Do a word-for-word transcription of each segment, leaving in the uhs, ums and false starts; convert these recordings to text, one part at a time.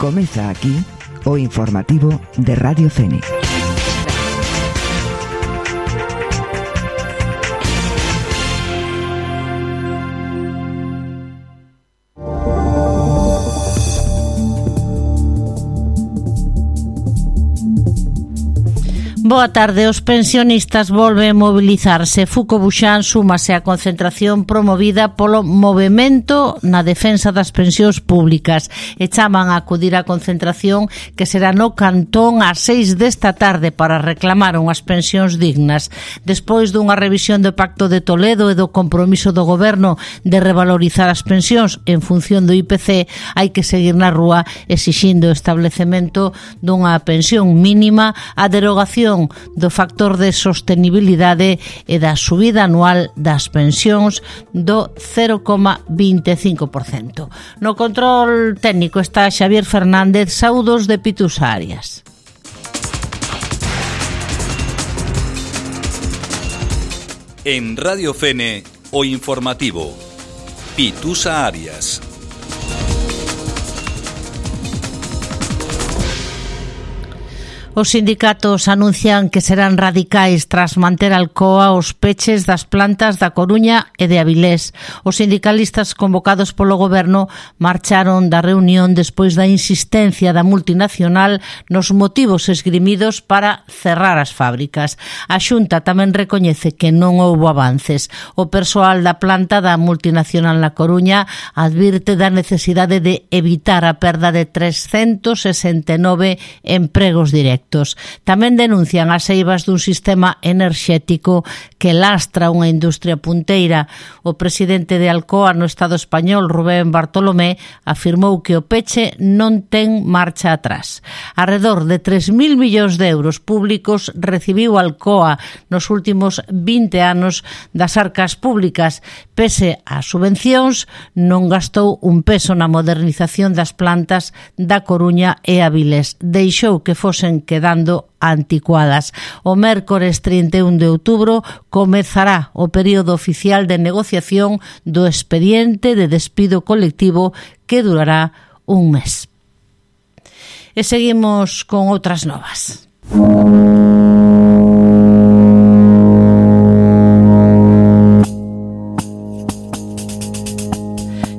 Comeza aquí o informativo de Radio Fénix. Boa tarde, os pensionistas volven mobilizarse. Fuco Buxán súmase á concentración promovida polo Movemento na defensa das pensións públicas e chaman a acudir á concentración que será no Cantón ás seis desta tarde para reclamar unhas pensións dignas. Despois dunha revisión do Pacto de Toledo e do compromiso do Goberno de revalorizar as pensións en función do I P C, hai que seguir na rúa exixindo o establecemento dunha pensión mínima, a derogación do factor de sostenibilidade e da subida anual das pensións do cero coma vinte e cinco por cento. No control técnico está Xavier Fernández. Saúdos de Pitusa Arias. En Radio Fene, o informativo Pitusa Arias. Os sindicatos anuncian que serán radicais tras manter Alcoa os peches das plantas da Coruña e de Avilés. Os sindicalistas convocados polo Goberno marcharon da reunión despois da insistencia da multinacional nos motivos esgrimidos para cerrar as fábricas. A Xunta tamén recoñece que non houbo avances. O persoal da planta da multinacional na Coruña advirte da necesidade de evitar a perda de trescentos sesenta e nove empregos directos. Tamén denuncian as eivas dun sistema enerxético que lastra unha industria punteira. O presidente de Alcoa no Estado español, Rubén Bartolomé, afirmou que o peche non ten marcha atrás. Arredor de tres mil millóns de euros públicos recibiu Alcoa nos últimos vinte anos das arcas públicas. Pese ás subvencións, non gastou un peso na modernización das plantas da Coruña e Avilés. Deixou que fosen quedando anticuadas. O mércores trinta e un de outubro comezará o período oficial de negociación do expediente de despido colectivo que durará un mes. E seguimos con outras novas.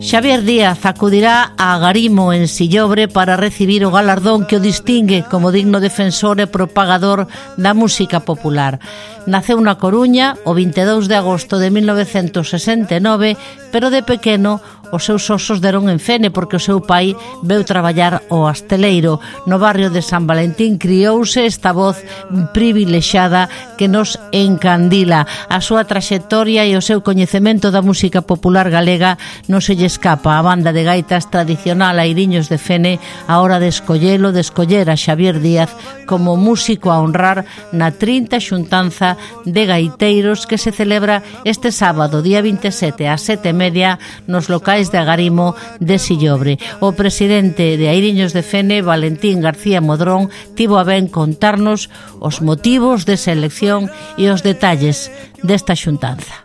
Xavier Díaz acudirá a Agarimo en Sillobre para recibir o galardón que o distingue como digno defensor e propagador da música popular. Naceu na Coruña o vinte e dous de agosto de mil novecentos sesenta e nove, pero de pequeno os seus osos deron en Fene porque o seu pai veu traballar ao Asteleiro. No barrio de San Valentín criouse esta voz privilexada que nos encandila. A súa traxectoria e o seu coñecemento da música popular galega non se lle escapa a banda de gaitas tradicional Airiños de Fene a hora de escollelo, de escoller a Xavier Díaz como músico a honrar na trinta xuntanza de gaiteiros que se celebra este sábado, día vinte e sete, ás sete e media, nos locais de Agarimo de Sillobre. O presidente de Airiños de Fene, Valentín García Modrón, tivo a ben contarnos os motivos desa elección e os detalles desta xuntanza.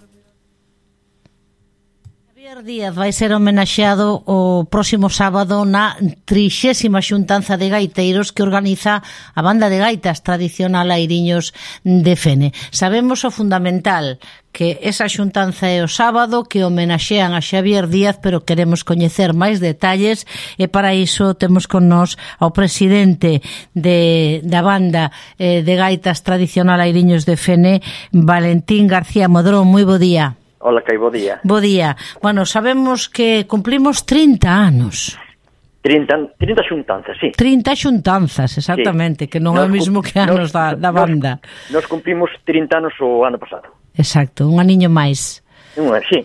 Díaz vai ser homenaxeado o próximo sábado na trixésima xuntanza de gaiteiros que organiza a banda de gaitas tradicional Airiños de Fene. Sabemos o fundamental que esa xuntanza é o sábado, que homenaxean a Xavier Díaz, pero queremos coñecer máis detalles e para iso temos con nós ao presidente de, da banda eh, de gaitas tradicional Airiños de Fene, Valentín García Modrón. Moi bo día. Hola, que bo día. Bo día. Bueno, sabemos que cumplimos trinta anos. trinta, trinta xuntanzas, sí. trinta xuntanzas, exactamente, sí. Que non é o mismo que anos nos, da, da banda. Nos, nos cumplimos trinta anos o ano pasado. Exacto, un aniño máis. Un, sí.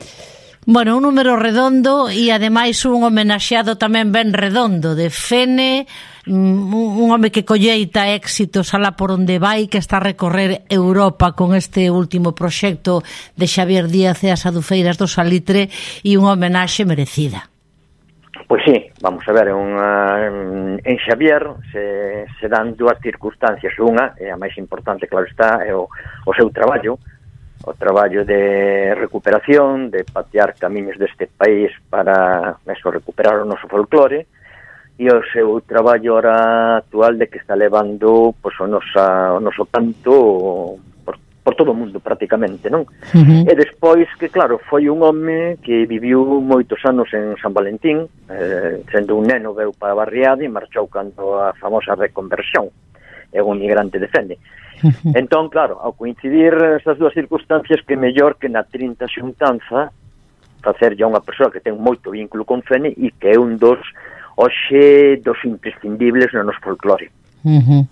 Bueno, un número redondo e ademais un homenaxeado tamén ben redondo de Fene, un home que colleita éxitos alá por onde vai, que está a recorrer Europa con este último proxecto de Xavier Díaz e as Adufeiras do Salitre, e unha homenaxe merecida. Pois sí, vamos a ver, unha, en Xavier se, se dan dúas circunstancias. Unha, e a máis importante, claro está, é o, o seu traballo, o traballo de recuperación, de patear camiños deste país para eso, recuperar o noso folclore, e o seu traballo ahora actual de que está levando pois, o, nosa, o noso canto por, por todo o mundo prácticamente, non? Uh-huh. E despois que, claro, foi un home que viviu moitos anos en San Valentín, eh, sendo un neno veu para a barriada e marchou cando a famosa reconversión, é un migrante de Fene. Uh-huh. Entón, claro, ao coincidir estas dúas circunstancias, que mellor que na trinta xuntanza facer ya unha persoa que ten moito vínculo con Fene e que é un dos hoxe dos imprescindibles no noso folclore. Uh-huh.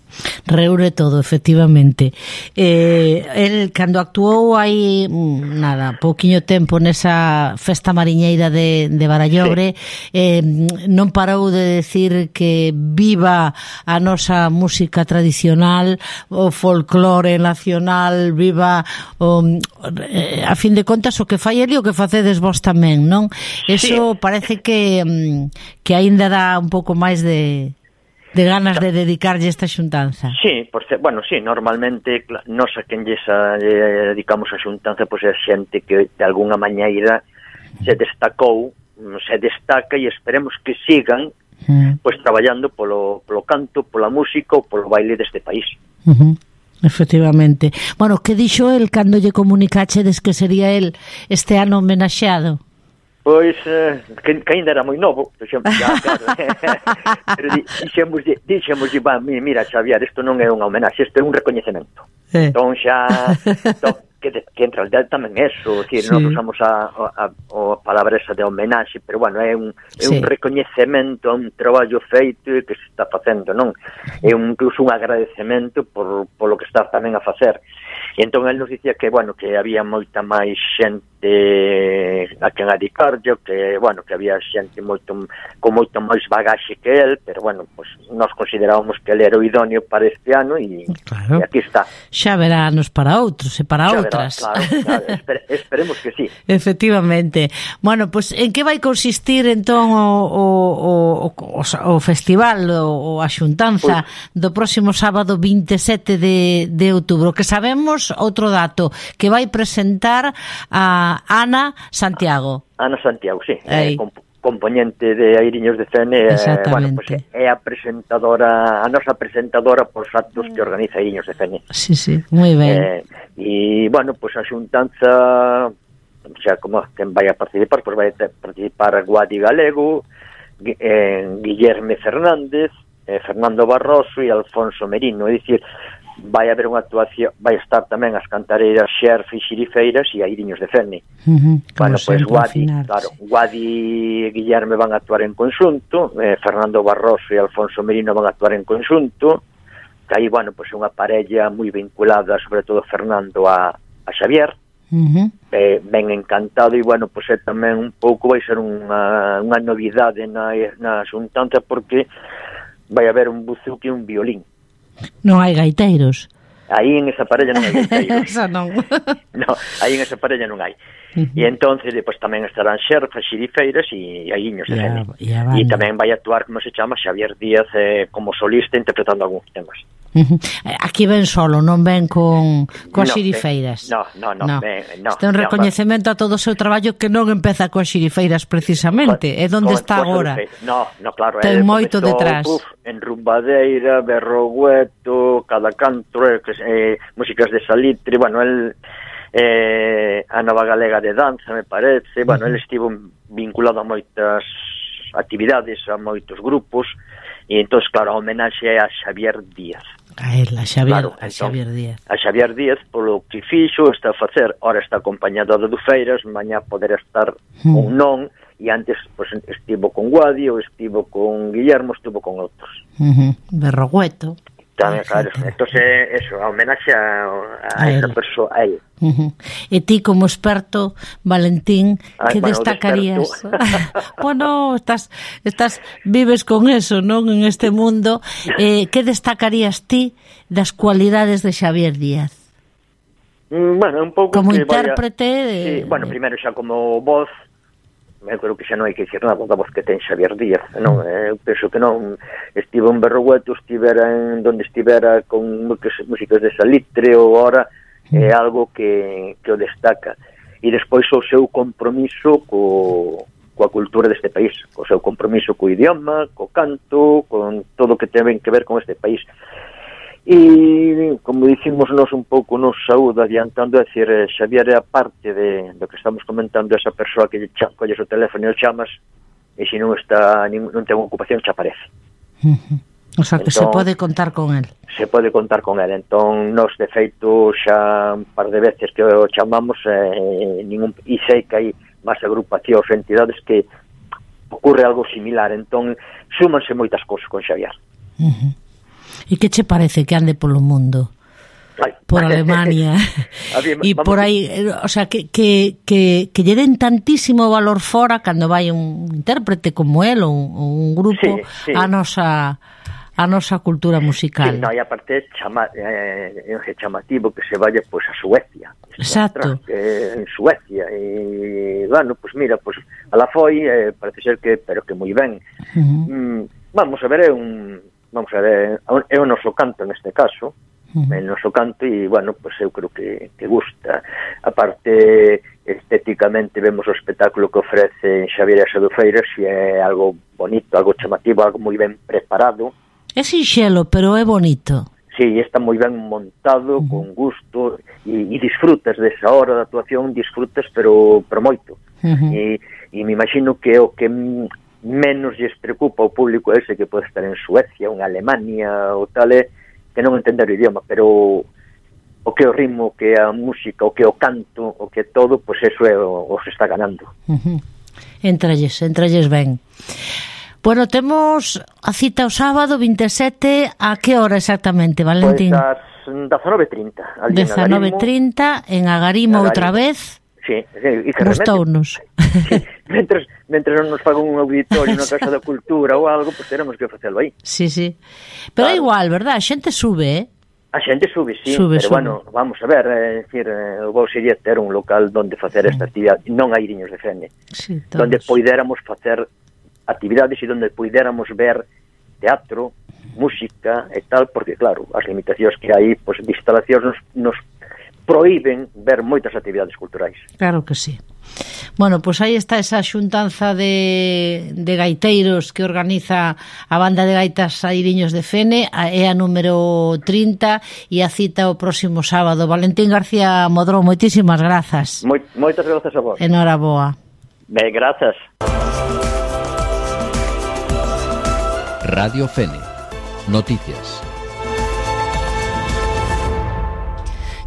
Reúne todo, efectivamente. Eh, el, cando actuou hai nada, pouquiño tempo nesa festa mariñeira de, de Barallobre, sí. eh, non parou de decir que viva a nosa música tradicional, o folclore nacional, viva o, eh, a fin de contas o que fai ele o que facedes vos tamén, non? Eso sí. Parece que que aínda dá un pouco máis de de ganas de dedicarlle esta xuntanza. Sí, por ser, bueno, sí, normalmente nos a quen lle dedicamos a xuntanza pois é xente que de algunha mañeira se destacou, se destaca e esperemos que sigan mm. pois traballando polo, polo canto, pola música ou polo baile deste país. Uh-huh. Efectivamente. Bueno, que dixo el cando lle comunicachedes que sería el este ano homenaxeado? Pois, eh, que, que ainda era moi novo, xa, claro, pero dixemos, dixemos, mira, Xavier, isto non é unha homenaxe, isto é un recoñecemento. Eh. Entón xa, entón, que, que en realidad tamén é eso, decir, sí. Non usamos a, a, a palabra esa de homenaxe, pero bueno, é un, é sí. un recoñecemento a un traballo feito que se está facendo, non? É un, incluso un agradecemento por, por lo que está tamén a facer. E entón el nos dicía que, bueno, que había moita máis xente a quen adicarlle, que, bueno, que había xente moito con moito máis bagaxe que el, pero, bueno, pues nós considerábamos que el era o idóneo para este ano e, claro. E aquí está. Xa verá anos para outros e para xa outras. Verá, claro, claro, esper, esperemos que sí. Efectivamente. Bueno, pues en que vai consistir entón o, o, o, o, o festival, o, o a xuntanza pues, do próximo sábado vinte e sete de, de outubro, que sabemos outro dato, que vai presentar a Ana Santiago. Ana Santiago, sí, eh, comp componente de Airiños de Fene, eh, bueno, pues é a presentadora, a nosa presentadora por actos que organiza Airiños de Fene. Sí, sí, moi ben. Eh, e, bueno, pues a xuntanza, xa como quen vai a participar, pues vai a participar Guadi Galego, eh, Guillerme Fernández, eh, Fernando Barroso e Alfonso Merino, é dicir, vai haber unha actuación, vai estar tamén as cantareiras Xerfe e Xirifeiras e Airiños de Fene. Uh-huh, bueno, pois pues, Guadi, claro, Guadi e Guillerme van a actuar en conxunto, eh, Fernando Barroso e Alfonso Merino van a actuar en conxunto, que aí, bueno, pois pues, unha parella moi vinculada, sobre todo Fernando a, a Xavier, uh-huh. eh, ben encantado, e, bueno, pois pues, tamén un pouco vai ser unha, unha novidade na, na xuntanza, porque vai haber un buzuki e un violín. Non hai gaiteiros. Aí en esa parella non hai gaiteiros. Esa non. No, aí en esa parella non hai. Uh-huh. E entonces depois tamén estarán Xerfas, Xirifeiras e Airiños de Fene. E tamén vai actuar, como se chama, Xavier Díaz eh, como solista interpretando algúns temas. Uh-huh. Aquí ven solo, non ven con coas no, xirifeiras. No, no, no, no. Ben, no. Este é un recoñecemento no, a todo o seu traballo que non empeza coas xirifeiras precisamente, é onde está agora. No, no, claro, ten moito detrás. Uf, en Rumbadeira, Berrogueto, Cada Canto, eh, músicas de Salitre, bueno, el eh, a Nova Galega de Danza, me parece, bueno, uh-huh. el estivo vinculado a moitas actividades, a moitos grupos, e entón, claro, a homenaxe é a Xavier Díaz. A él, a Xavier, claro, a Xavier entón, Díaz. A Xavier Díaz, polo que fixo, está a facer, ora está acompañado de Dufeiras, mañá poder estar hmm. ou non, e antes pues, estivo con Guadi, ou estivo con Guillermo, estivo con outros. Uh-huh. Berrogueto. Tamén, claro, entonces eso, a homenaxe a, a, a esa persoa, a él. Uh-huh. E ti como experto, Valentín, que bueno, destacarías? Bueno, estás, estás vives con eso, non, en este mundo. Eh, que destacarías ti das cualidades de Xavier Díaz? Mm, bueno, un pouco como que intérprete vaya... de... Sí, bueno, primeiro xa como voz, eu creo que xa non hai que dicir nada da voz que ten Xavier Díaz, non? Eu penso que non estivo en Berrogueto, estivera en donde estivera con músicas de Salitre ou ora é algo que, que o destaca. E despois o seu compromiso co, coa cultura deste país, co seu compromiso co idioma, co canto, con todo o que ten que ver con este país. E, como dicimos nos un pouco nos saúde adiantando, é dicir, Xavier é a parte de, do que estamos comentando, esa persoa que colles o teléfono e o chamas, e se non está, non ten ocupación, xa aparece. Uh-huh. O sea, que entón, se pode contar con el. Se pode contar con el. Entón, nos, de feito, xa un par de veces que o chamamos, eh, ningún, e sei que hai máis agrupacións, entidades que ocurre algo similar. Entón, súmanse moitas cousas con Xavier. Uh-huh. E que che parece que ande polo mundo? Ay. Por Alemania e por aí, o sea, que, que, que, que lle den tantísimo valor fora cando vai un intérprete como el ou un, un grupo sí, sí. a nosa a nosa cultura musical. Sí, no, e aparte chama, eh, é chamativo que se vaya pois, a Suecia. Exacto. Atrás, que en Suecia e, bueno, pois mira, pois a la foi, eh, parece ser que, pero que moi ben. Uh-huh. Mm, vamos a ver, é un vamos a ver, é o noso canto neste caso, uh-huh. el noso canto, e, bueno, pues eu creo que, que gusta. Aparte, estéticamente, vemos o espectáculo que ofrece Xavier Adufeiras, e é algo bonito, algo chamativo, algo moi ben preparado. É sinxelo, pero é bonito. Sí, está moi ben montado, uh-huh. con gusto, e, e disfrutas desa hora da actuación, disfrutas, pero, pero moito. Uh-huh. E, e me imagino que o que menos lles preocupa ao público ese que pode estar en Suecia, ou en Alemania, ou tal, é que non entender o idioma, pero o que o ritmo, o que a música, o que o canto, o que todo, pois eso é o, o se está ganando. Uh-huh. Entralles, entralles ben. Bueno, temos a cita o sábado vinte e sete, a que hora exactamente, Valentín? Pois as dezanove e trinta. dezanove e trinta, en Agarimo outra vez. Sí, sí, e que gustounos. Sí, mentres, mentres non nos pagan un auditorio na Casa da Cultura ou algo, pois pues teremos que facelo aí. Sí, sí. Pero claro. É igual, verdad? A xente sube, eh? A xente sube, sí, sube, pero sube. Bueno, vamos a ver, é dicir, o bo sería ter un local donde facer esta actividade, non hai Iriños de Fene, sí, donde poidéramos facer actividades e donde poidéramos ver teatro, música e tal, porque claro, as limitacións que hai, pois de instalacións nos, nos proíben ver moitas actividades culturais. Claro que sí. Bueno, pois pues aí está esa xuntanza de, de gaiteiros que organiza a banda de gaitas Airiños de Fene, é a número trinta, e a cita o próximo sábado. Valentín García Modrón, moitísimas grazas. Moi, moitas grazas a vos. Enhoraboa. Ben, grazas. Radio Fene. Noticias.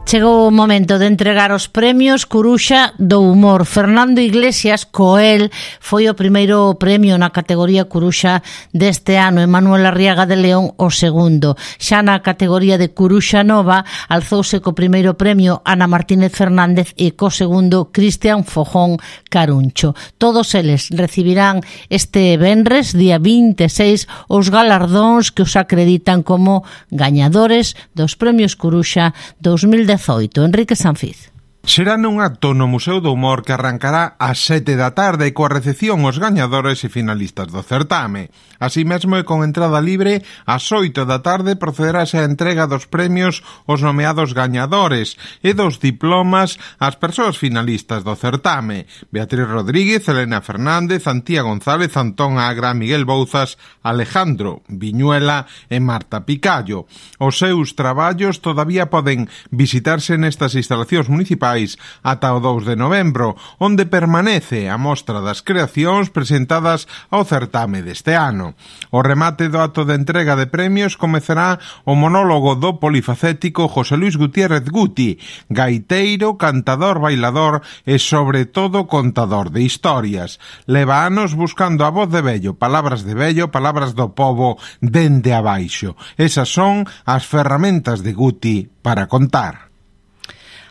Chegou o momento de entregar os premios Curuxa do Humor. Fernando Iglesias Coel foi o primeiro premio na categoría Curuxa deste ano, e Manuel Arriaga de León o segundo. Xa na categoría de Curuxa Nova alzouse co primeiro premio Ana Martínez Fernández e co segundo Cristian Fojón Caruncho. Todos eles recibirán este venres, día vinte e seis, os galardóns que os acreditan como gañadores dos premios Curuxa dos mil dezaoito. Enrique Sanfiz. Será nun acto no Museo do Humor que arrancará ás sete da tarde coa recepción aos gañadores e finalistas do certame. Así mesmo e con entrada libre, ás oito da tarde procederase a entrega dos premios aos nomeados gañadores e dos diplomas ás persoas finalistas do certame: Beatriz Rodríguez, Elena Fernández, Antía González, Antón Agra, Miguel Bouzas, Alejandro Viñuela e Marta Picallo. Os seus traballos todavía poden visitarse nestas instalacións municipais ata o dous de novembro, onde permanece a mostra das creacións presentadas ao certame deste ano. O remate do acto de entrega de premios comezará o monólogo do polifacético José Luis Gutiérrez Guti, gaiteiro, cantador, bailador e, sobre todo, contador de historias. Leva anos buscando a voz de vello, palabras de vello, palabras do pobo dende abaixo. Esas son as ferramentas de Guti para contar.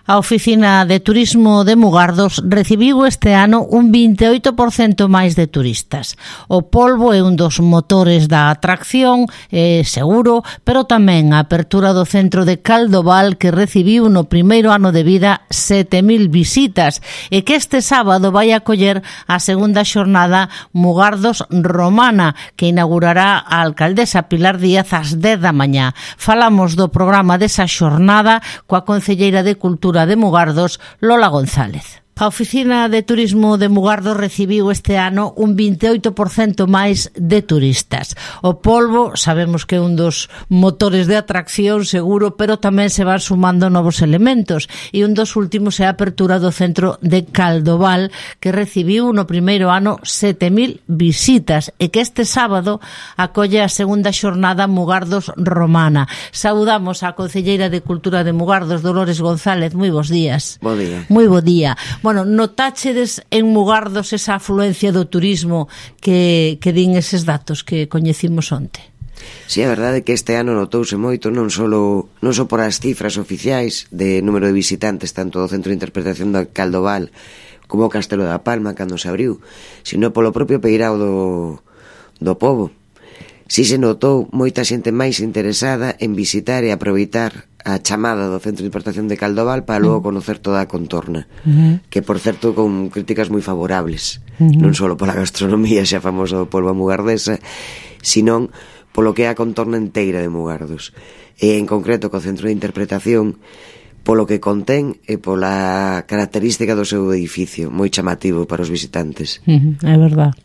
A Oficina de Turismo de Mugardos recibiu este ano un vinte e oito por cento máis de turistas. O polvo é un dos motores da atracción, é seguro, pero tamén a apertura do centro de Caldoval, que recibiu no primeiro ano de vida sete mil visitas, e que este sábado vai acoller a segunda xornada Mugardos Romana, que inaugurará a alcaldesa Pilar Díaz ás dez da mañá. Falamos do programa desa xornada coa concelleira de Cultura de Mugardos, Lola González. A Oficina de Turismo de Mugardos recibiu este ano un vinte e oito por cento máis de turistas. O polbo sabemos que é un dos motores de atracción seguro, pero tamén se van sumando novos elementos, e un dos últimos é a apertura do centro de Caldoval, que recibiu no primeiro ano sete mil visitas e que este sábado acolle a segunda xornada Mugardos Romana. Saudamos a concelleira de Cultura de Mugardos, Dolores González. Moi bons días. Bo día. Moi bo día. Bueno, notáchedes en Mugardos esa afluencia do turismo que, que din eses datos que coñecimos onte? Si, sí, a verdade é que este ano notouse moito, non só non só por as cifras oficiais de número de visitantes tanto do Centro de Interpretación do Caldoval como o Castelo da Palma cando se abriu, sino polo propio peirao do, do pobo. Si se notou moita xente máis interesada en visitar e aproveitar a chamada do Centro de Interpretación de Caldoval para logo conocer toda a contorna, uh-huh. que por certo con críticas moi favorables, uh-huh. non só pola gastronomía xa famosa do polvo mugardesa, sino polo que é a contorna inteira de Mugardos, e en concreto co Centro de Interpretación polo que contén e pola característica do seu edificio, moi chamativo para os visitantes. Uh-huh, é verdad.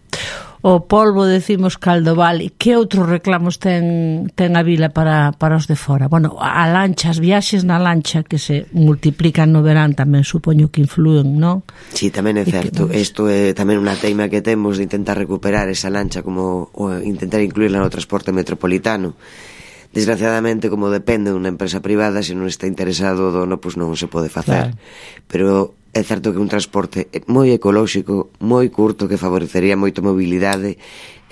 O polvo, decimos, Caldoval, e que outros reclamos ten, ten a vila para, para os de fora? Bueno, a lancha, as viaxes na lancha que se multiplican no verán tamén supoño que influen, non? Sí, tamén é certo. Isto é tamén unha teima que temos de intentar recuperar esa lancha como ou intentar incluirla no transporte metropolitano. Desgraciadamente, como depende dunha empresa privada, se non está interesado o dono, pois non se pode facer. Claro. Pero é certo que un transporte moi ecolóxico, moi curto, que favorecería moito mobilidade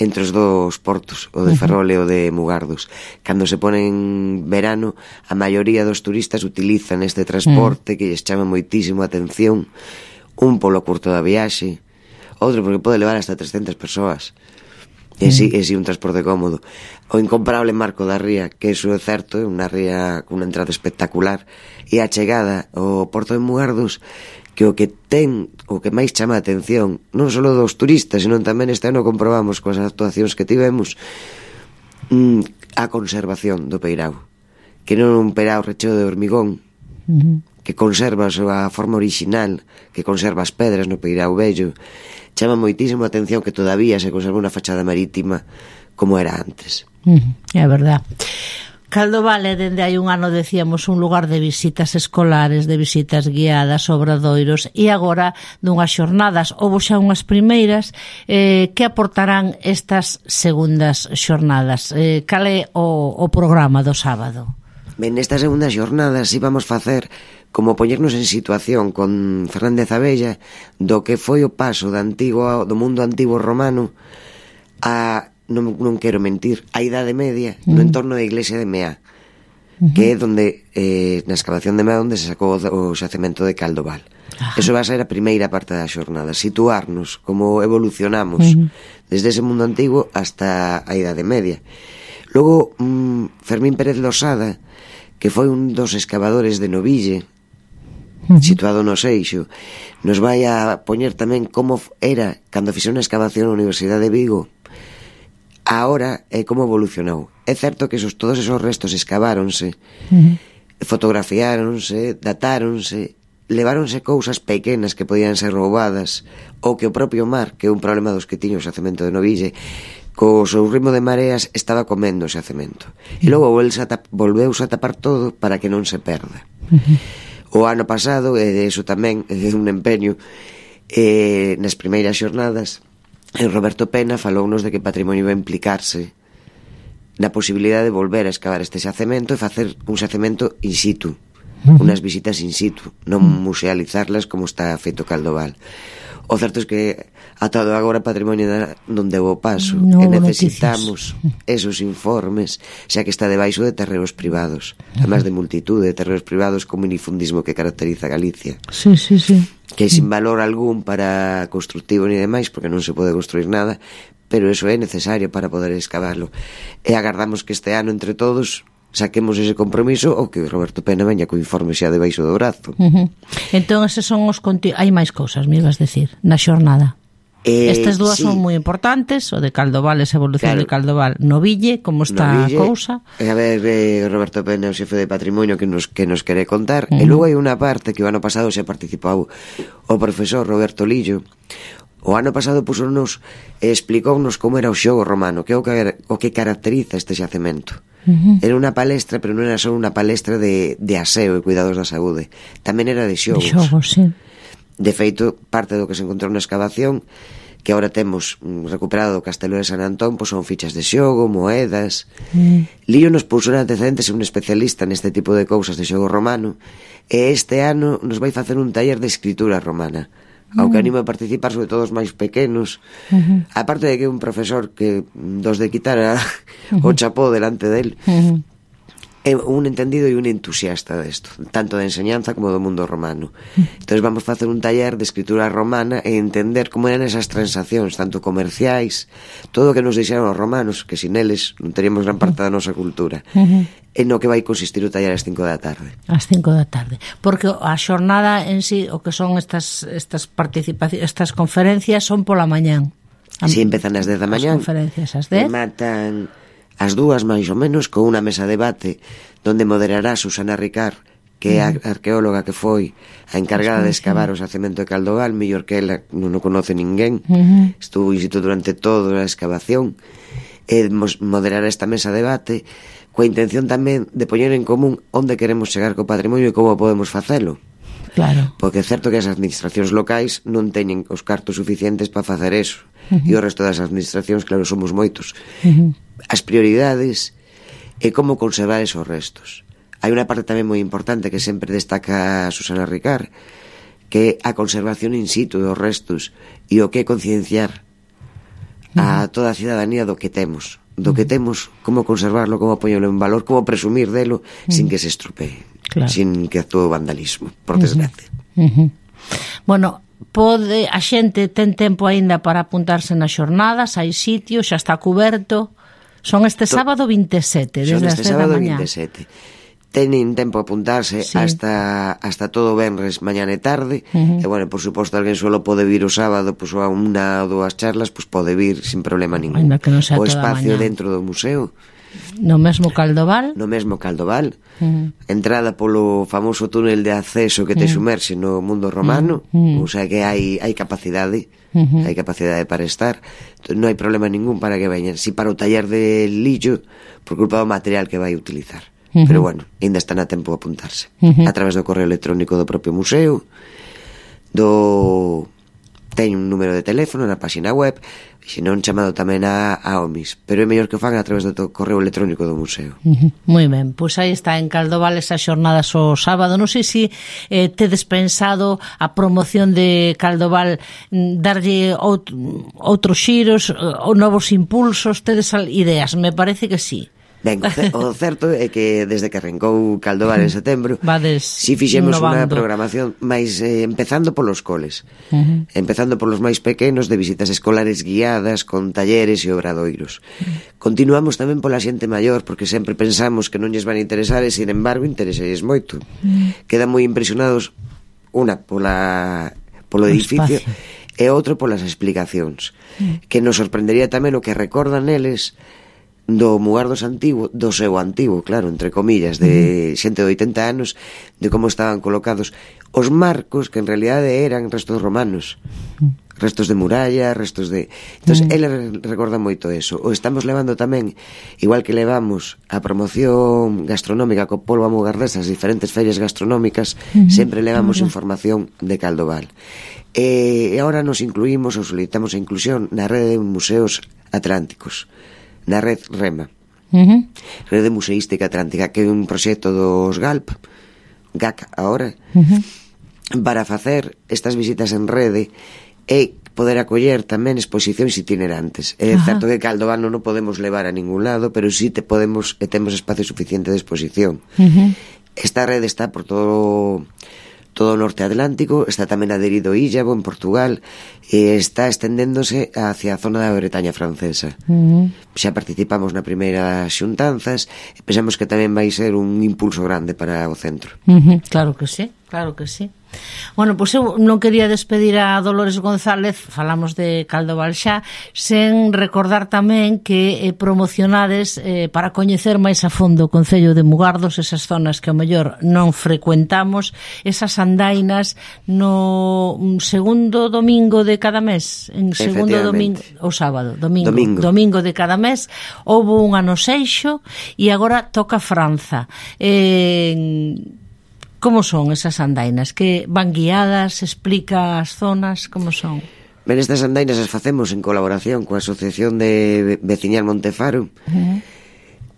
entre os dous portos, o de Ferrol e o de Mugardos. Cando se pone en verano, a maioría dos turistas utilizan este transporte que lles chama moitísimo a atención, un polo curto da viaxe, outro porque pode levar hasta trescentas persoas. E si, e si un transporte cómodo. O incomparable Marco da Ría, que iso é certo, é unha ría con unha entrada espectacular, e a chegada ao Porto de Mugardos, que o que ten, o que máis chama a atención, non só dos turistas, senón tamén este ano comprobamos coas actuacións que tivemos, a conservación do peirao, que non é un peirao recheo de hormigón, uh-huh. que conserva a súa forma orixinal, que conserva as pedras no peirao vello. Chama moitísimo a atención que todavía se conserva unha fachada marítima como era antes. Uh-huh. É verdad. Caldoval é, dende hai un ano, decíamos, un lugar de visitas escolares, de visitas guiadas, obradoiros, e agora dunhas xornadas, houbo xa unhas primeiras, eh, que aportarán estas segundas xornadas? Eh, cal é o, o programa do sábado? Ben, nestas segundas xornadas íbamos facer como poñernos en situación con Fernández Abella do que foi o paso do, antigo, do mundo antigo romano a, non, non quero mentir, a Idade Media, uh-huh. no entorno da iglesia de Meá, uh-huh. que é donde, eh, na excavación de Meá, onde se sacou o xacemento de Caldoval. Uh-huh. Eso va a ser a primeira parte da xornada, situarnos como evolucionamos uh-huh. desde ese mundo antigo hasta a Idade Media. Logo, mmm, Fermín Pérez Losada, que foi un dos excavadores de Noville, uh-huh. situado no Seixo, nos vai a poñer tamén como era cando fixou unha excavación na Universidade de Vigo, ahora é como evolucionou. É certo que esos, todos esos restos escaváronse, uh-huh. fotografiáronse, datáronse, leváronse cousas pequenas que podían ser roubadas, ou que o propio mar, que é un problema dos que tiño o xacemento de Noville, co seu ritmo de mareas estaba comendo o xacemento. E logo volveuse a tapar todo para que non se perda. Uh-huh. O ano pasado, e de iso tamén é un empeño, eh, nas primeiras xornadas, Roberto Pena falounos de que Patrimonio iba a implicarse na posibilidade de volver a excavar este xacemento e facer un xacemento in situ, uh-huh. unas visitas in situ, non musealizarlas como está feito Caldoval. O certo é que ata agora Patrimonio non deu o paso, no, e necesitamos noticias. Esos informes, xa que está debaixo de terreos privados, uh-huh. además de multitude de terreos privados como minifundismo que caracteriza Galicia. Sí, sí, sí. Que sin valor algún para constructivo ni demais, porque non se pode construir nada, pero eso é necesario para poder excavarlo. E agardamos que este ano, entre todos, saquemos ese compromiso ou que Roberto Pena veña co informe xa debaixo do brazo. Uh-huh. Entón, eses son os conti... hai máis cousas, me ibas decir, na xornada. Eh, Estas dúas sí. son moi importantes, o de Caldoval, esa evolución claro. de Caldoval no Ville, como está no Ville, a cousa. A ver, eh, Roberto Pena, o xefe de patrimonio, que nos, que nos quere contar. Uh -huh. E logo hai unha parte que o ano pasado xa participou o profesor Roberto Lillo. O ano pasado pusonos, explicounos como era o xogo romano, que é o que, o que caracteriza este xacemento. Uh -huh. Era unha palestra, pero non era só unha palestra de, de aseo e cuidados da saúde. Tamén era de xogos. De xogos, sí. De feito, parte do que se encontrou na excavación, que agora temos recuperado do Castelo de San Antón, pois son fichas de xogo, moedas. Mm. Lío nos puxo en antecedentes un especialista neste tipo de cousas de xogo romano, e este ano nos vai facer un taller de escritura romana, mm. ao que animo a participar, sobre todo os máis pequenos. Mm-hmm. Aparte de que un profesor que dos de quitar a, mm-hmm. o chapó delante del, mm-hmm. é un entendido e un entusiasta desto, tanto de enseñanza como do mundo romano. Entón vamos facer un taller de escritura romana e entender como eran esas transaccións, tanto comerciais, todo o que nos deixaron os romanos, que sin eles non teríamos gran parte da nosa cultura. Uh-huh. E no que vai consistir o taller ás cinco da tarde. Ás cinco da tarde. Porque a xornada en sí, o que son estas estas participacións, estas conferencias son pola mañán. Si, empezan ás dez da mañán. As conferencias ás dez. E matan as dúas máis ou menos con unha mesa de debate donde moderará Susana Ricard, que é a arqueóloga que foi a encargada de excavar o xacemento de Caldoval, mellor que ela non o conoce ninguén. Uh-huh. Estuvo in situ durante toda a excavación, e moderará esta mesa de debate coa intención tamén de poñer en común onde queremos chegar co patrimonio e como podemos facelo. Claro. Porque é certo que as administracións locais non teñen os cartos suficientes para facer eso. Uh-huh. E o resto das administracións, claro, somos moitos. Uh-huh. As prioridades e como conservar esos restos. Hai unha parte tamén moi importante que sempre destaca Susana Ricard, que é a conservación in situ dos restos e o que é concienciar a toda a cidadanía do que temos, do que temos, como conservarlo, como poñerlo en valor, como presumir delo sin que se estropee, claro. sin que actúe o vandalismo, por desgracia. Uh-huh. Bueno, pode a xente ten tempo aínda para apuntarse nas xornadas, hai sitio, xa está cuberto. Son este sábado vinte e sete, desde as dez da mañá. vinte e sete. Tenin tempo a apuntarse sí. hasta hasta todo venres, mañana e tarde. Uh-huh. E, bueno, por suposto, alguén solo pode vir o sábado, pois, a unha ou dúas charlas, pois pode vir sin problema ningún. O espacio dentro do museo. No mesmo Caldoval? No mesmo Caldoval. Uh-huh. Entrada polo famoso túnel de acceso que te uh-huh. sumerxe no mundo romano. Uh-huh. O sea que hai, hai capacidade. Uh-huh. Hai capacidade para estar. Entón, non hai problema ningún para que veñan. Si para o taller de Lillo, por culpa do material que vai utilizar. Uh-huh. Pero bueno, ainda están a tempo de apuntarse. Uh-huh. A través do correo electrónico do propio museo, do... Teño un número de teléfono na página web, se non chamado tamén a, a O M I S, pero é mellor que o fan a través do correo electrónico do museo. Uh-huh. Moi ben, pois aí está en Caldoval esas xornadas o sábado. Non sei se eh, tedes pensado a promoción de Caldoval darlle out, outros xiros ou novos impulsos, tedes ideas? Me parece que sí. Ben, o certo é que desde que arrancou Caldoval en setembro, Vades si fixemos unha programación máis eh, empezando polos coles, uh-huh. empezando polos máis pequenos, de visitas escolares guiadas con talleres e obradoiros. Uh-huh. Continuamos tamén pola xente maior, porque sempre pensamos que non lles van a interesar e, sin embargo, interesalles moito. Uh-huh. Quedan moi impresionados, unha pola polo edificio e outro polas explicacións, uh-huh. que nos sorprendería tamén o que recordan eles do Mugardos antigo, do seu antigo, claro, entre comillas, de xente de oitenta anos, de como estaban colocados os marcos, que en realidade eran restos romanos, restos de muralla, restos de... Entón, mm. ele recorda moito eso. O estamos levando tamén, igual que levamos a promoción gastronómica co polvo a Mugardés, as diferentes ferias gastronómicas, mm. sempre levamos mm. información de Caldoval. E agora nos incluímos, ou solicitamos a inclusión na rede de museos atlánticos, na red REMA, uh-huh. Rede Museística Atlántica, que é un proxecto dos GALP, G A C agora, uh-huh. para facer estas visitas en rede e poder acoller tamén exposicións itinerantes. É uh-huh. certo que Caldoval non o podemos levar a ningún lado, pero sí te podemos e temos espacio suficiente de exposición. Uh-huh. Esta rede está por todo todo o norte atlántico, está tamén adherido Illavo en Portugal e está estendéndose hacia a zona da Bretaña francesa. Uh-huh. Xa participamos na primeira xuntanzas e pensamos que tamén vai ser un impulso grande para o centro. Uh-huh. Claro que sí, claro que sí. Bueno, pois eu non quería despedir a Dolores González, falamos de Caldo Balxá, sen recordar tamén que eh, promocionades eh, para coñecer máis a fondo o Concello de Mugardos, esas zonas que ao mellor non frecuentamos, esas andainas no segundo domingo de cada mes, en segundo domingo, ou sábado, domingo, domingo, domingo de cada mes, houve unha no Seixo e agora toca Franza. Eh, Como son esas andainas? Que van guiadas? Explica as zonas? Como son? Ben, estas andainas as facemos en colaboración coa Asociación de Veciñal Montefaro. Uh-huh.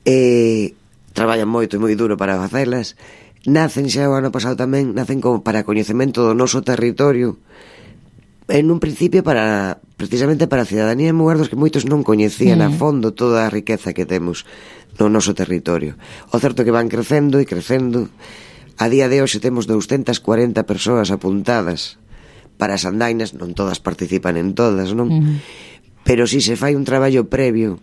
E traballan moito e moi duro para facelas. Nacen xa o ano pasado tamén, nacen como para coñecemento do noso territorio. En un principio para precisamente para a cidadanía de Mugardos, que moitos non coñecían uh-huh. a fondo toda a riqueza que temos no noso territorio. O certo que van crecendo e crecendo. A día de hoxe temos doscientas cuarenta persoas apuntadas para as andainas, non todas participan en todas, non? Uh-huh. Pero si se fai un traballo previo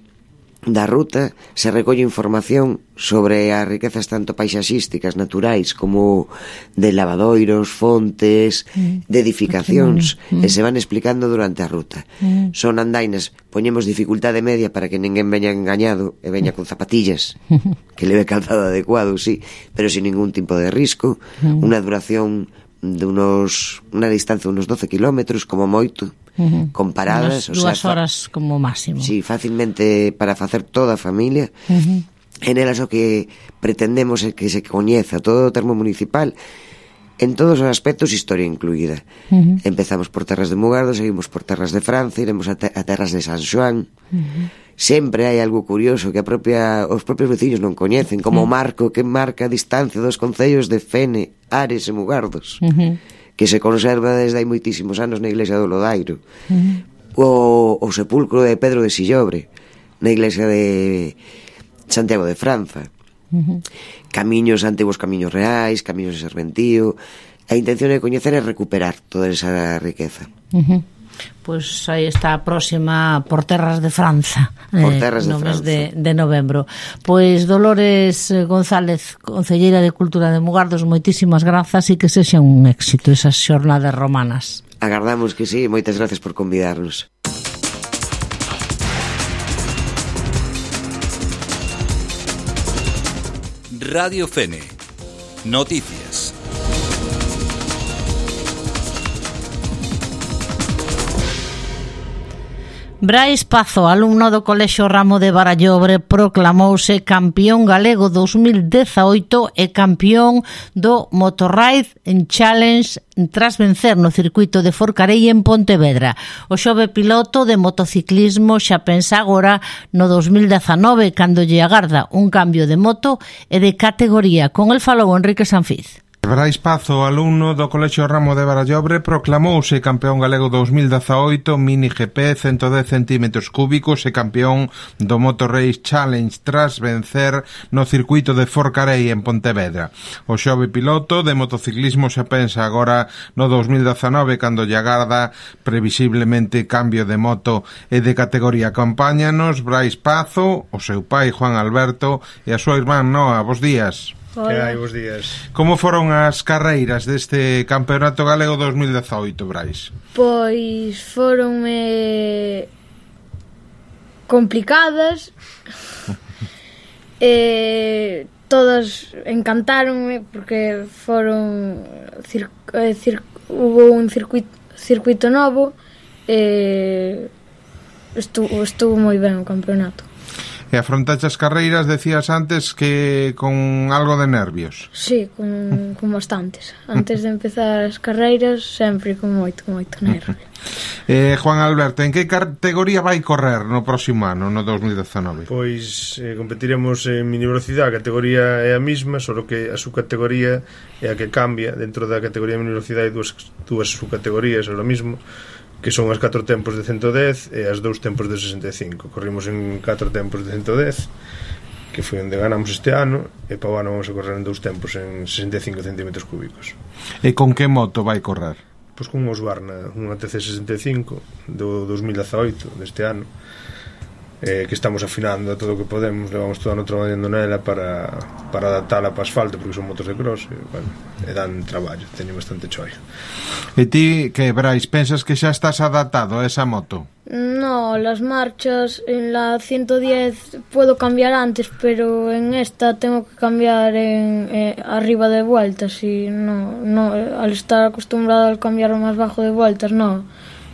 da ruta, se recolle información sobre as riquezas tanto paisaxísticas, naturais, como de lavadoiros, fontes, uh-huh. de edificacións, uh-huh. e se van explicando durante a ruta. Uh-huh. Son andainas, poñemos dificultade media para que ninguén veña engañado e veña con zapatillas, uh-huh. que leve calzado adecuado, sí, pero sin ningún tipo de risco, uh-huh. unha duración de unos, unha distancia de unos doce kilómetros, como moito, uh-huh. con paradas, unas dúas horas como máximo. Sí, fácilmente para facer toda a familia. Uh-huh. En elas o que pretendemos é que se coñeza todo o termo municipal en todos os aspectos, historia incluída. Uh-huh. Empezamos por terras de Mugardos, seguimos por terras de Francia, iremos a, te- a terras de San Xoán. Uh-huh. Sempre hai algo curioso que a propia, os propios veciños non coñecen, como uh-huh. o marco que marca a distancia dos concellos de Fene, Ares e Mugardos. Uh-huh. Que se conserva desde hai moitísimos anos na iglesia do Lodairo. Uh-huh. O, o sepulcro de Pedro de Sillobre na iglesia de Santiago de Franza. Uh-huh. Camiños, antigos camiños reais, camiños de serventío. A intención de coñecer é recuperar toda esa riqueza. Uh-huh. Pois aí está a próxima por terras de Franza, por terras eh, de no Franza. mes de, de novembro. Pois Dolores González, concelleira de Cultura de Mugardos, moitísimas grazas e que sexa un éxito esas xornadas romanas. Agardamos que sí, moitas gracias por convidarnos. Radio Fene. Noticias. Brais Pazo, alumno do Colexio Ramo de Barallobre, proclamouse campeón galego dos mil dezaoito e campeón do Motorride en Challenge tras vencer no circuito de Forcarei en Pontevedra. O xove piloto de motociclismo xa pensa agora no dos mil dezanove, cando lle agarda un cambio de moto e de categoría. Con el falou Enrique Sanfiz. Brais Pazo, alumno do Colexio Ramo de Barallobre, proclamouse campeón galego dos mil dezaoito Mini G P ciento dez centímetros cúbicos e campeón do Motor Race Challenge tras vencer no circuito de Forcarei en Pontevedra. O xove piloto de motociclismo xa pensa agora no dos mil dezanove, cando lle agarda previsiblemente cambio de moto e de categoría. Acompáñanos Brais Pazo, o seu pai Juan Alberto e a súa irmán Noa. Bos días. Que hai, bos días. Como foron as carreiras deste Campeonato Galego dos mil dezaoito, Brais? Pois foronme complicadas e todas encantáronme porque foron cir, cir, hubo un circuito, circuito novo e estuvo, estuvo moi ben o campeonato. E afrontaste as carreiras, decías antes, que con algo de nervios. Sí, con, con bastantes. Antes de empezar as carreiras, sempre con moito, con moito nervio. eh, Juan Alberto, en que categoría vai correr no próximo ano, no dos mil dezanove? Pois eh, competiremos en mini velocidade. A categoría é a mesma, só que a subcategoría é a que cambia. Dentro da categoría de mini velocidade hai dúas, dúas subcategorías, é o mismo, que son as catro tempos de ciento dez e as dous tempos de sesenta e cinco. Corrimos en catro tempos de ciento dez, que foi onde ganamos este ano, e para o ano vamos a correr en dous tempos en sesenta e cinco centímetros cúbicos. E con que moto vai correr? Pois con un Husqvarna, unha T C sesenta e cinco do dos mil dezaoito, deste ano, eh, que estamos afinando todo o que podemos, levamos todo ano traballando nela para, para adaptala para asfalto, porque son motos de cross, e, bueno, e dan traballo, teño bastante choio. E ti, que, Brais, pensas que xa estás adaptado a esa moto? No, las marchas en la ciento diez puedo cambiar antes, pero en esta tengo que cambiar en, eh, arriba de vueltas y no, no, al estar acostumbrado a cambiar más bajo de vueltas, no,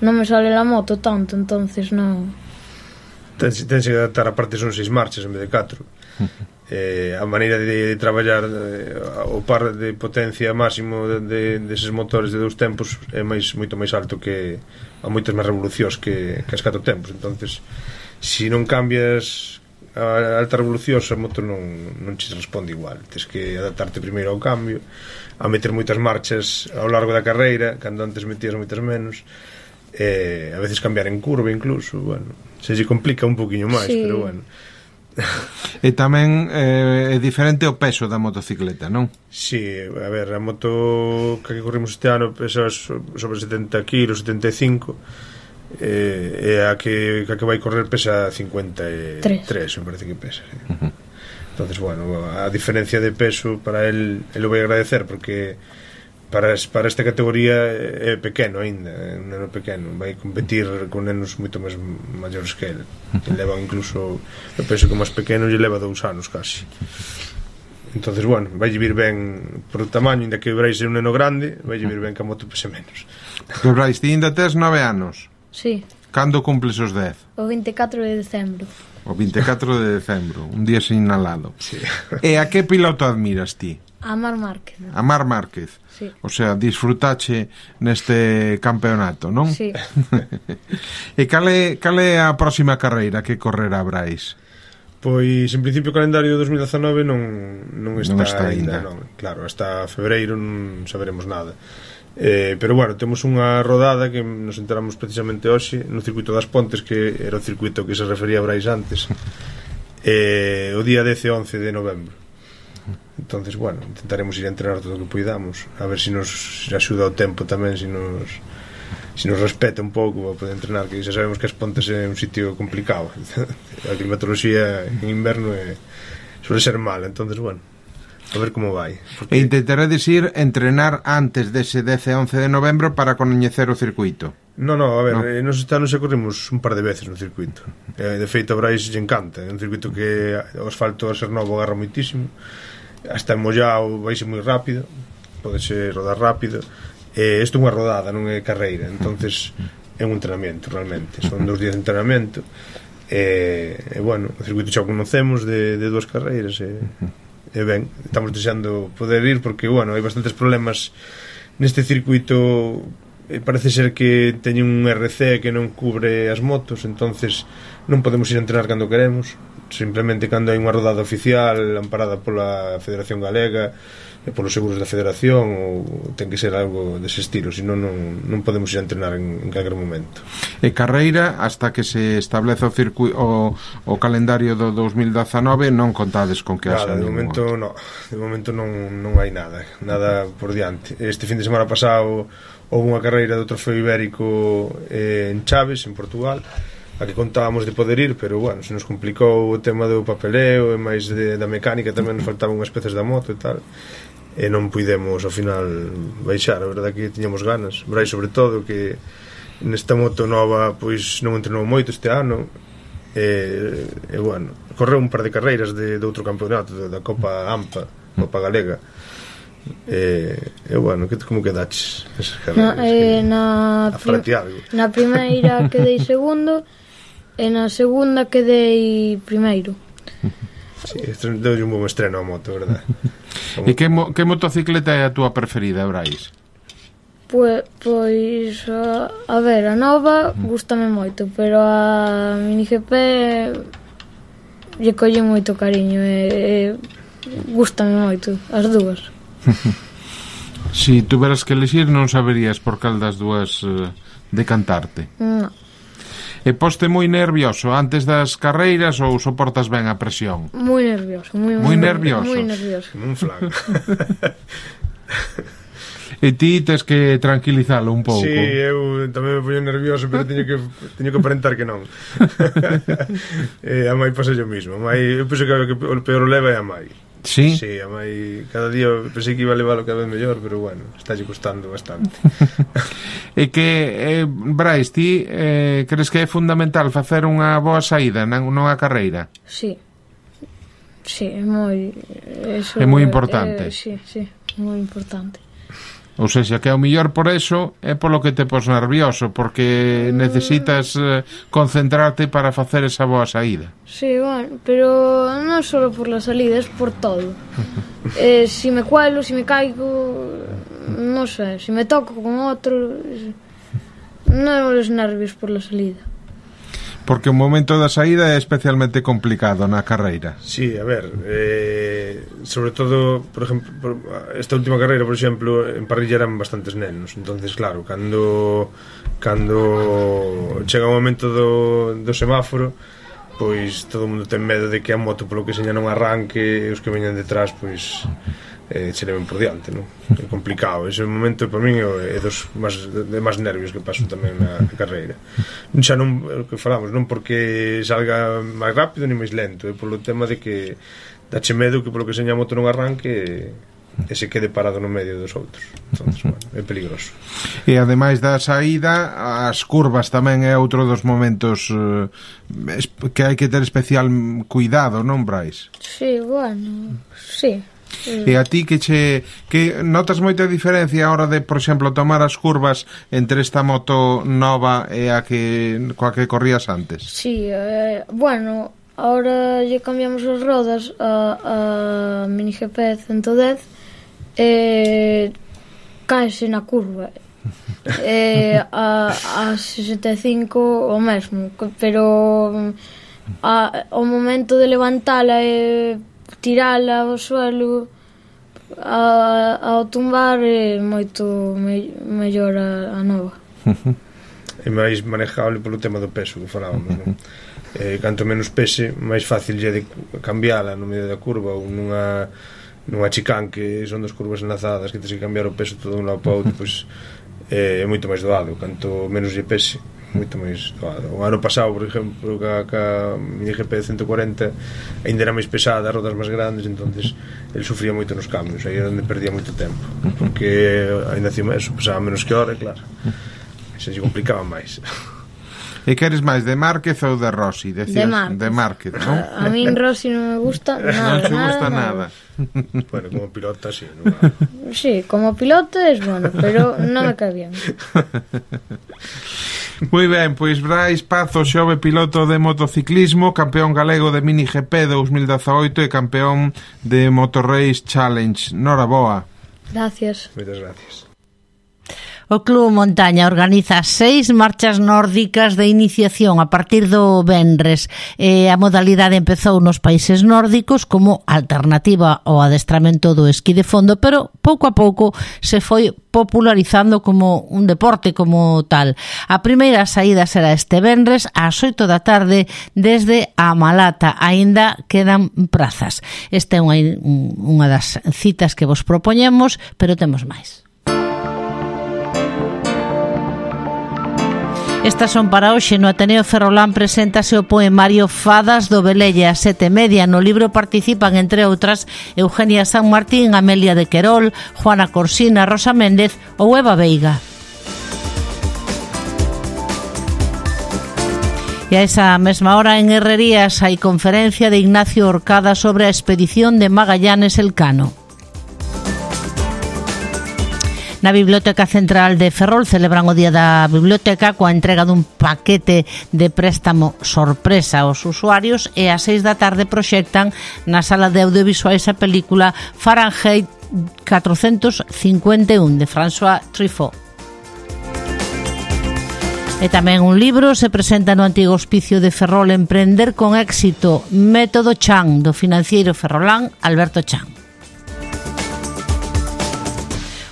no me sale la moto tanto, entonces no. Tens, tens que adaptar, aparte son seis marchas en vez de catro. Eh, a maneira de, de traballar eh, o par de potencia máximo de, de, deses motores de dous tempos é máis, moito máis alto que a moitas máis revolucións que, que as catro tempos. Entonces, se non cambias a alta revolucións, a moto non, non te responde igual. Tens que adaptarte primeiro ao cambio, a meter moitas marchas ao largo da carreira, cando antes metías moitas menos, eh, a veces cambiar en curva incluso, bueno, se lle complica un poquinho máis, sí. Pero bueno. E tamén eh, é diferente o peso da motocicleta, non? Si, sí, a ver, a moto que corrimos este ano pesa sobre setenta kilos, setenta e cinco, eh, e a que, a que vai correr pesa cincuenta e tres, me parece que pesa, sí. Uh-huh. Entonces, bueno, a diferencia de peso para él, él lo vai agradecer, porque para, para esta categoría é pequeno ainda, é un neno pequeno, vai competir con nenos moito máis maiores que ele, que levan incluso, eu penso que o máis pequeno lle leva dous anos casi. Entonces, bueno, vai vir ben por o tamaño, ainda que o Brais é un neno grande, vai vir ben que a moto pese menos. Que Brais, ti ainda tes nove anos? Sí. Cando cumples os dez? O veintecatro de decembro. O veintecatro de decembro, un día sinalado. Sí. E a que piloto admiras ti? A Mar Márquez. A Mar Márquez. Sí. O sea, disfrutache neste campeonato, non? Sí. E cal é, cal é a próxima carreira que correrá Brais? Pois, en principio, o calendario de dos mil dezanove non, non está, non está ainda, ainda. Non. Claro, hasta febreiro non saberemos nada. Eh, pero, bueno, temos unha rodada que nos enteramos precisamente hoxe no circuito das Pontes, que era o circuito que se refería a Brais antes, eh, o día dez e once de novembro. Entonces, bueno, intentaremos ir a entrenar todo o que poidamos, a ver se si nos axuda o tempo tamén, se si nos se si nos respeta un pouco para poder entrenar, que xa sabemos que as Pontes é un sitio complicado. A climatoloxía en inverno é, suele ser mala, entonces, bueno, a ver como vai. Porque... E intentaredes ir entrenar antes dese dez e once de novembro para coñecer o circuito? No, no, a ver, no. Eh, nos este ano xa corrimos un par de veces no circuito. Eh, de feito, a Brais lle encanta. É un circuito que o asfalto a ser novo agarra moitísimo. Hasta mollado vai ser moi rápido, pode ser rodar rápido. Eh, isto é unha rodada, non é carreira. Entonces é un entrenamento realmente. Son dous días de entrenamento. E, eh, eh, bueno, o circuito xa o conocemos de, de dúas carreiras. E, e ben, estamos desexando poder ir porque, bueno, hai bastantes problemas neste circuito. Eh, parece ser que teñen un R C que non cubre as motos, entonces non podemos ir a entrenar cando queremos. Simplemente cando hai unha rodada oficial amparada pola Federación Galega e polos seguros da Federación, ou ten que ser algo dese estilo, senón non, non podemos ir a entrenar en, en calquer momento. E carreira, hasta que se establece o circuito o, o calendario do dos mil dezanove, non contades con que haxa. Claro, de momento non, de momento non, non hai nada, nada por diante. Este fin de semana pasado houve unha carreira do Trofeo Ibérico eh, en Chaves, en Portugal, a que contábamos de poder ir, pero, bueno, se nos complicou o tema do papeleo e máis de, da mecánica, tamén nos faltaban unhas peces da moto e tal, e non puidemos ao final baixar. A verdade que tiñamos ganas, Brais sobre todo, que nesta moto nova pois non entrenou moito este ano, e, e bueno, correu un par de carreiras de, de outro campeonato, da Copa AMPA, Copa Galega. E, e bueno, que, como quedaches esas carreiras? Na, eh, na, prim na primeira quedei segundo e na segunda quedei primeiro. Sí, deu un bom estreno a moto, verdad? E que, mo, que motocicleta é a túa preferida, Brais? Pois, pois a, a ver, a nova gústame moito, pero a Mini G P lle colle moito cariño e, e gústame moito as dúas. Si tuveras que elegir, non saberías por cal das dúas uh, decantarte. Non. E poste moi nervioso antes das carreiras ou soportas ben a presión? Moi nervioso, moi, moi nervioso. Moi nervioso. Como un flan. E ti tes que tranquilizalo un pouco. Sí, eu tamén me poño nervioso, pero teño que teño que aparentar que non. E a mai pasa yo mismo. A mai, eu penso que o peor o leva é a mai. Sí? Sí, a mai cada día pensei que iba a levar o cada vez mellor, pero bueno, está lle costando bastante. E que, eh, Brais, ti eh, crees que é fundamental facer unha boa saída nunha carreira? Sí. Sí, é moi... Eso é moi importante. É, sí, sí, moi importante. Ou seja, que ao mellor por eso é polo que te pos nervioso, porque necesitas eh, concentrarte para facer esa boa saída. Sí, bueno, pero non só por la salida, es por todo. eh, si me cuelo, si me caigo, non sei, si me toco con outro, non os nervios por la salida. Porque o momento da saída é especialmente complicado na carreira. Sí, a ver, eh, sobre todo, por exemplo, por, esta última carreira, por exemplo, en parrilla eran bastantes nenos, entonces claro, cando cando chega o momento do, do semáforo, pois todo o mundo ten medo de que a moto polo que seña non arranque, e os que veñan detrás, pois eh, se leven por diante, non? É complicado, ese momento para min é dos máis, de máis nervios que paso tamén na, na carreira. Xa non, o que falamos, non porque salga máis rápido ni máis lento, é polo tema de que dache medo que polo que seña a moto non arranque e se quede parado no medio dos outros. Entonces, bueno, é peligroso. E ademais da saída, as curvas tamén é outro dos momentos eh, que hai que ter especial cuidado, non, Brais? Sí, bueno, sí. E a ti que che que notas moita diferencia a hora de, por exemplo, tomar as curvas entre esta moto nova e a que coa que corrías antes? Sí, eh, bueno, ahora lle cambiamos as rodas a, a Mini G P ciento dez e caese na curva. E a, a sesenta e cinco o mesmo, pero a, o momento de levantala e tirala ao suelo a, ao tumbar é moito me, mellor a, a nova. É máis manejable polo tema do peso que falábamos, non? Eh, canto menos pese, máis fácil lle de cambiala no medio da curva ou nunha nunha chicán que son dos curvas enlazadas que tens que cambiar o peso todo un lado para outro, pois eh, é moito máis doado. Canto menos lle pese, moito máis doado. O ano pasado, por exemplo, ca, ca Mini G P ciento cuarenta ainda era máis pesada, rodas máis grandes, entonces el sufría moito nos cambios, aí é onde perdía moito tempo, porque ainda encima eso pesaba menos que hora, claro, se lle complicaba máis. E que eres máis de Márquez ou de Rossi? Decías, de Márquez, de Márquez, non? A, a min Rossi non me gusta nada. Non te gusta nada, nada. nada. Bueno, como pilota, sí. No. Sí, como piloto es bueno, pero non me cae bien. Moi ben, pois Brais Pazo, xove piloto de motociclismo, campeón galego de Mini G P dous mil dezaoito e campeón de Motorrace Challenge. Noraboa. Gracias. Moitas gracias. O Club Montaña organiza seis marchas nórdicas de iniciación a partir do venres. E a modalidade empezou nos países nórdicos como alternativa ao adestramento do esquí de fondo, pero pouco a pouco se foi popularizando como un deporte como tal. A primeira saída será este venres ás oito da tarde desde a Malata. Aínda quedan prazas. Esta é unha, unha das citas que vos propoñemos, pero temos máis. Estas son para hoxe. No Ateneo Ferrolán preséntase o poemario Fadas do Velelle a sete e media. No libro participan, entre outras, Eugenia San Martín, Amelia de Querol, Juana Corsina, Rosa Méndez ou Eva Veiga. E a esa mesma hora en Herrerías hai conferencia de Ignacio Orcada sobre a expedición de Magallanes Elcano. Na Biblioteca Central de Ferrol celebran o Día da Biblioteca coa entrega dun paquete de préstamo sorpresa aos usuarios e ás seis da tarde proxectan na sala de audiovisuais a película Fahrenheit catrocentos cincuenta e un de François Truffaut. E tamén un libro se presenta no antigo hospicio de Ferrol, Emprender con éxito, Método Chan, do financiero ferrolán Alberto Chan.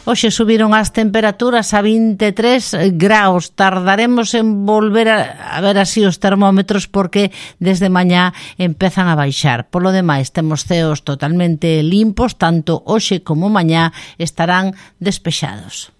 Hoxe subiron as temperaturas a vinte e tres graus. Tardaremos en volver a, a ver así os termómetros porque desde mañá empezan a baixar. Polo demais, temos ceos totalmente limpos, tanto hoxe como mañá estarán despexados.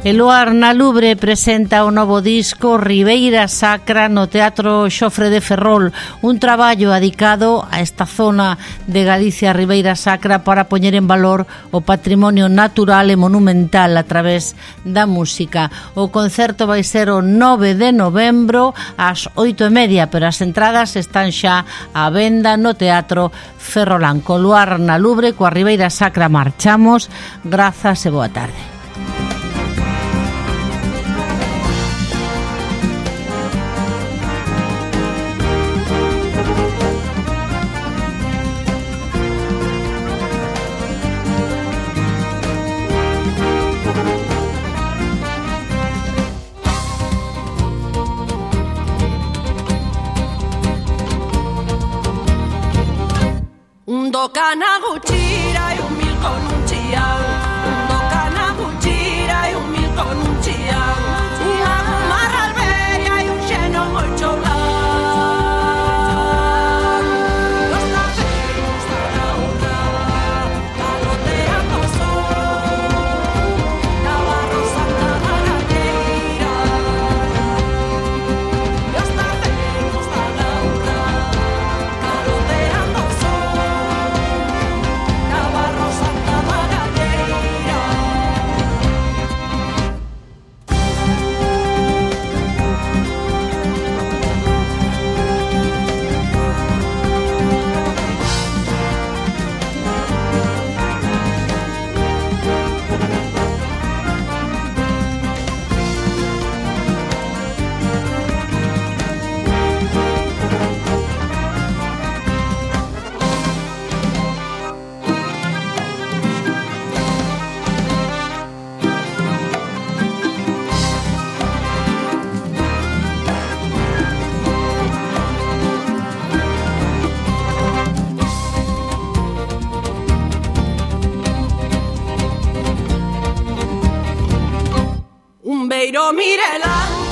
Eluar na Lubre presenta o novo disco Ribeira Sacra no Teatro Xofre de Ferrol, un traballo adicado a esta zona de Galicia, Ribeira Sacra, para poñer en valor o patrimonio natural e monumental a través da música. O concerto vai ser o nove de novembro ás oito e media, pero as entradas están xa á venda no Teatro Ferrolán. Co Luar na Lubre, coa Ribeira Sacra marchamos. Grazas e boa tarde. Kana gutxira e un mil con un chian. Do kana gutxira e un mil con un chian. Unha marra alberia e un xeno moi cholán. Los taperos da laura, caloteando o sol, Navarro Santa Margalleira. Los taperos da laura, caloteando o sol, Beiro Mirela.